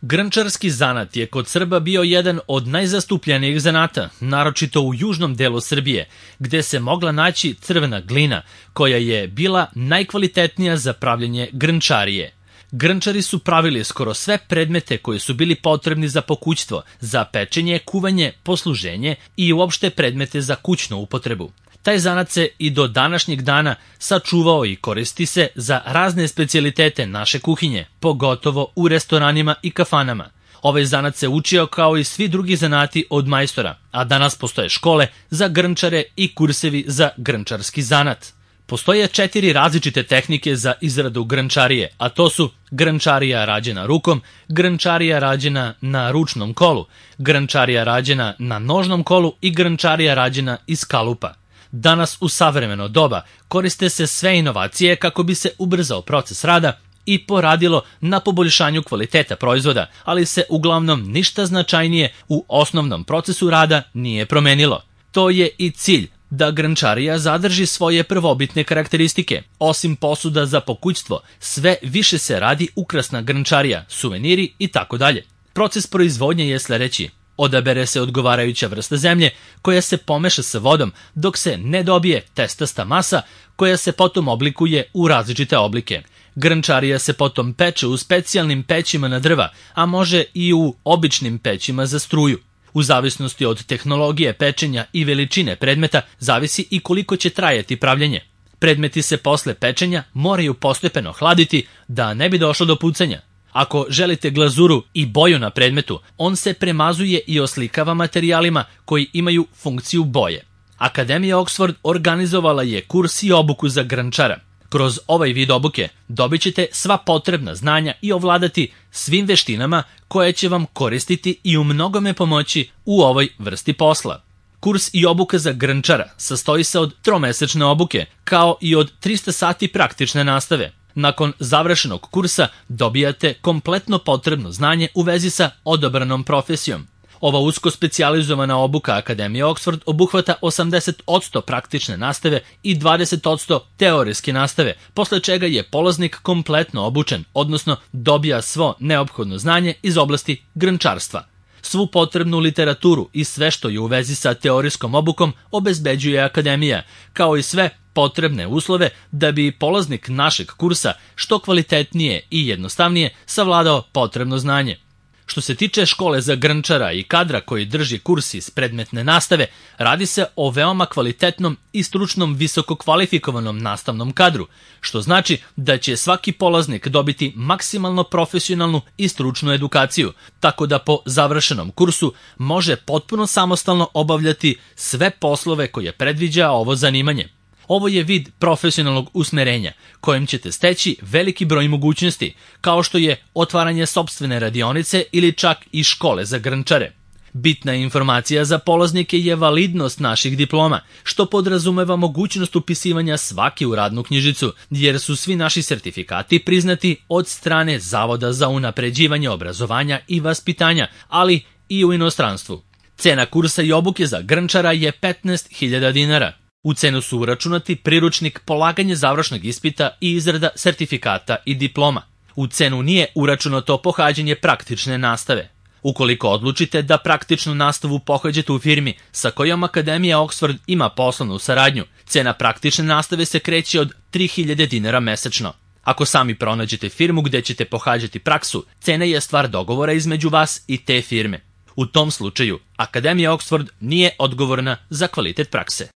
Grnčarski zanat je kod Srba bio jedan od najzastupljenijih zanata, naročito u južnom delu Srbije, gde se mogla naći crvena glina, koja je bila najkvalitetnija za pravljenje grnčarije. Grnčari su pravili skoro sve predmete koji su bili potrebni za pokućstvo, za pečenje, kuvanje, posluženje i uopšte predmete za kućnu upotrebu. Taj zanat se i do današnjeg dana sačuvao i koristi se za razne specijalitete naše kuhinje, pogotovo u restoranima i kafanama. Ovaj zanat se učio kao i svi drugi zanati od majstora, a danas postoje škole za grnčare i kursevi za grnčarski zanat. Postoje 4 različite tehnike za izradu grnčarije, a to su grnčarija rađena rukom, grnčarija rađena na ručnom kolu, grnčarija rađena na nožnom kolu i grnčarija rađena iz kalupa. Danas u savremeno doba koriste se sve inovacije kako bi se ubrzao proces rada i poradilo na poboljšanju kvaliteta proizvoda, ali se uglavnom ništa značajnije u osnovnom procesu rada nije promenilo. To je i cilj, da grnčarija zadrži svoje prvobitne karakteristike. Osim posuda za pokućstvo, sve više se radi ukrasna grnčarija, suveniri i tako dalje. Proces proizvodnje je sledeći. Odabere se odgovarajuća vrsta zemlje koja se pomeša sa vodom dok se ne dobije testasta masa koja se potom oblikuje u različite oblike. Grnčarija se potom peče u specijalnim pećima na drva, a može i u običnim pećima za struju. U zavisnosti od tehnologije pečenja i veličine predmeta zavisi i koliko će trajati pravljenje. Predmeti se posle pečenja moraju postepeno hladiti da ne bi došlo do pucanja. Ako želite glazuru i boju na predmetu, on se premazuje i oslikava materijalima koji imaju funkciju boje. Akademija Oxford organizovala je kurs i obuku za grnčara. Kroz ovaj vid obuke dobit ćete sva potrebna znanja i ovladati svim veštinama koje će vam koristiti i u mnogome pomoći u ovoj vrsti posla. Kurs i obuka za grnčara sastoji se od 3-mesečne obuke, kao i od 300 sati praktične nastave. Nakon završenog kursa dobijate kompletno potrebno znanje u vezi sa odabranom profesijom. Ova usko specijalizovana obuka Akademije Oxford obuhvata 80% praktične nastave i 20% teorijske nastave, posle čega je polaznik kompletno obučen, odnosno dobija svo neophodno znanje iz oblasti grnčarstva. Svu potrebnu literaturu i sve što je u vezi sa teorijskom obukom obezbeđuje Akademija, kao i sve potrebne uslove da bi polaznik našeg kursa što kvalitetnije i jednostavnije savladao potrebno znanje. Što se tiče škole za grnčara i kadra koji drži kurs iz predmetne nastave, radi se o veoma kvalitetnom i stručnom visoko kvalifikovanom nastavnom kadru, što znači da će svaki polaznik dobiti maksimalno profesionalnu i stručnu edukaciju, tako da po završenom kursu može potpuno samostalno obavljati sve poslove koje predviđa ovo zanimanje. Ovo je vid profesionalnog usmerenja, kojim ćete steći veliki broj mogućnosti, kao što je otvaranje sopstvene radionice ili čak i škole za grnčare. Bitna informacija za polaznike je validnost naših diploma, što podrazumeva mogućnost upisivanja svake u radnu knjižicu, jer su svi naši sertifikati priznati od strane Zavoda za unapređivanje obrazovanja i vaspitanja, ali i u inostranstvu. Cena kursa i obuke za grnčara je 15.000 dinara. U cenu su uračunati priručnik, polaganje završnog ispita i izrada sertifikata i diploma. U cenu nije uračunato pohađanje praktične nastave. Ukoliko odlučite da praktičnu nastavu pohađate u firmi sa kojom Akademija Oxford ima poslovnu saradnju, cena praktične nastave se kreće od 3.000 dinara mesečno. Ako sami pronađete firmu gde ćete pohađati praksu, cena je stvar dogovora između vas i te firme. U tom slučaju, Akademija Oxford nije odgovorna za kvalitet prakse.